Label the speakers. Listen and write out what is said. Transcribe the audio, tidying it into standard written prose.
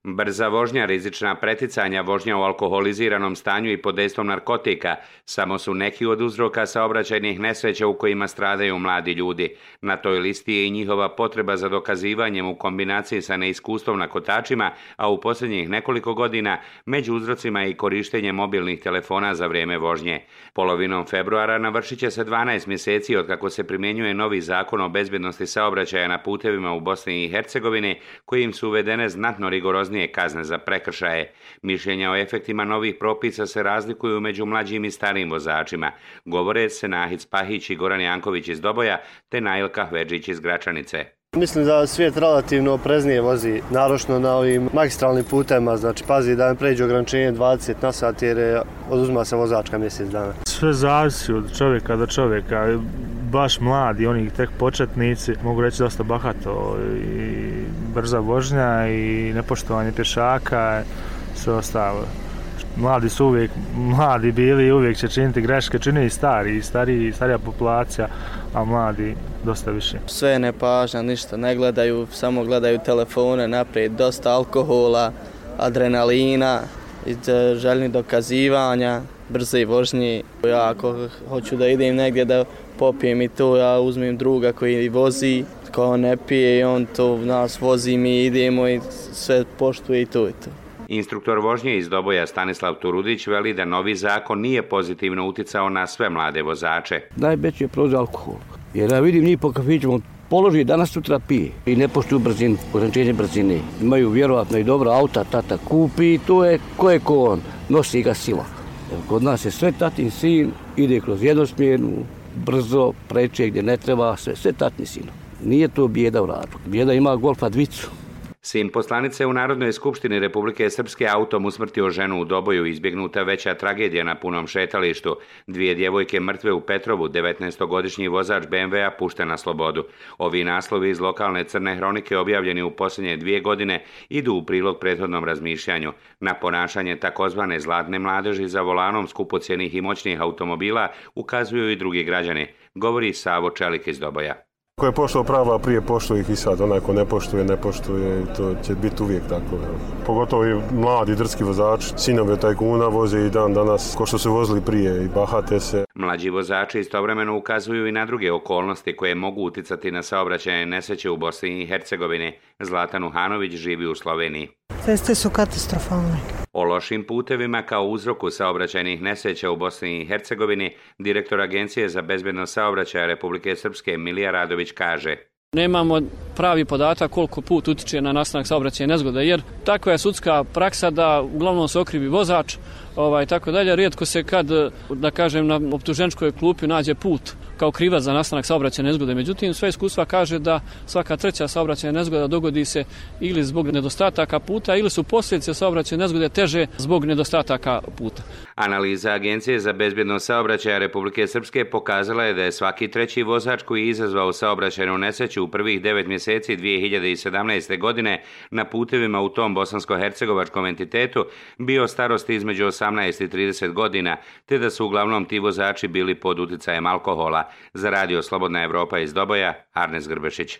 Speaker 1: Brza vožnja, rizična preticanja, vožnja u alkoholiziranom stanju i pod dejstvom narkotika samo su neki od uzroka saobraćajnih nesreća u kojima stradaju mladi ljudi. Na toj listi je i njihova potreba za dokazivanjem u kombinaciji sa neiskustvom na kotačima, a u posljednjih nekoliko godina među uzrocima je i korištenje mobilnih telefona za vrijeme vožnje. Polovinom februara navršit će se 12 mjeseci od kako se primjenjuje novi zakon o bezbjednosti saobraćaja na putevima u Bosni i Hercegovini, kojim su uvedene znatno rigoroznije kazne za prekršaje. Mišljenja o efektima novih propisa se razlikuju među mlađim i starijim vozačima. Govore Senahid Spahić i Goran Janković iz Doboja te Nail Kahvedžić iz Gračanice.
Speaker 2: Mislim da svijet relativno opreznije vozi, naročito na ovim magistralnim putevima, znači pazi da ne pređe ograničenje 20 na sat jer oduzma se vozačka mjesec dana.
Speaker 3: Sve zavisi od čovjeka do čovjeka, baš mladi, oni tek početnici, mogu reći dosta bahato i brza vožnja i nepoštovanje pješaka, sve ostalo. Mladi su uvijek mladi bili i uvijek će činiti greške, čine i starija populacija, a mladi dosta više.
Speaker 4: Sve nepažnja, ništa ne gledaju, samo gledaju telefone naprijed, dosta alkohola, adrenalina, željni dokazivanja, brze vožnje. Ja ako hoću da idem negdje da popijem i to, ja uzmem druga koji vozi, ko ne pije i on to nas vozi, mi idemo i sve poštuje i to i to.
Speaker 1: Instruktor vožnje iz Doboja Stanislav Turudić veli da novi zakon nije pozitivno uticao na sve mlade vozače.
Speaker 5: Najveći je problem alkohol, jer ja vidim njih po kafićima, položi danas sutra pije i ne poštuju brzinu, ograničenje brzine. Imaju vjerovatno i dobro auta, tata kupi i to je ko on, nosi ga sila. Kod nas je sve tatin sin, ide kroz jednosmjernu, brzo, preče gdje ne treba, sve tatin sin. Nije to bijeda u radu, bijeda ima Golfa dvicu.
Speaker 1: Sin poslanice u Narodnoj skupštini Republike Srpske autom usmrtio ženu u Doboju, izbjegnuta veća tragedija na punom šetalištu. 2 djevojke mrtve u Petrovu, 19-godišnji vozač BMW-a pušten na slobodu. Ovi naslovi iz lokalne crne hronike objavljeni u posljednje 2 godine idu u prilog prethodnom razmišljanju. Na ponašanje takozvane zlatne mladeži za volanom skupocjenih i moćnih automobila ukazuju i drugi građani, govori Savo Čelik iz Doboja.
Speaker 6: Ko je poštovao pravila prije, poštuje ih i sad. Onaj ko ne poštuje i to će biti uvijek tako. Pogotovo i mladi drski vozači, sinovi tajkuna voze i dan danas ko što su vozili prije i bahate se.
Speaker 1: Mlađi vozači istovremeno ukazuju i na druge okolnosti koje mogu uticati na saobraćajne nesreće u Bosni i Hercegovini. Zlatan Uhanović živi u Sloveniji.
Speaker 7: Ceste su katastrofalne.
Speaker 1: O lošim putevima kao uzroku saobraćajnih nesreća u Bosni i Hercegovini direktor Agencije za bezbednost saobraćaja Republike Srpske Milija Radović kaže:
Speaker 8: Nemamo pravi podatak koliko put utiče na nastanak saobraćajne nezgode, jer takva je sudska praksa da uglavnom se okrivi vozač, tako dalje. Rijetko se kad, da kažem, na optuženičkoj klupi nađe put kao krivac za nastanak saobraćajne nezgode. Međutim, sve iskustva kaže da svaka treća saobraćajna nezgoda dogodi se ili zbog nedostataka puta ili su posljedice saobraćajne nezgode teže zbog nedostataka puta.
Speaker 1: Analiza Agencije za bezbjednost saobraćaja Republike Srpske pokazala je da je svaki treći vozač koji je izazvao saobraćajnu nesreću u prvih 9 mjeseci 2017. godine na putevima u tom bosansko-hercegovačkom entitetu bio starosti između 18 i 30 godina, te da su uglavnom ti vozači bili pod uticajem alkohola. Za radio Slobodna Evropa iz Doboja, Arnes Grbešić.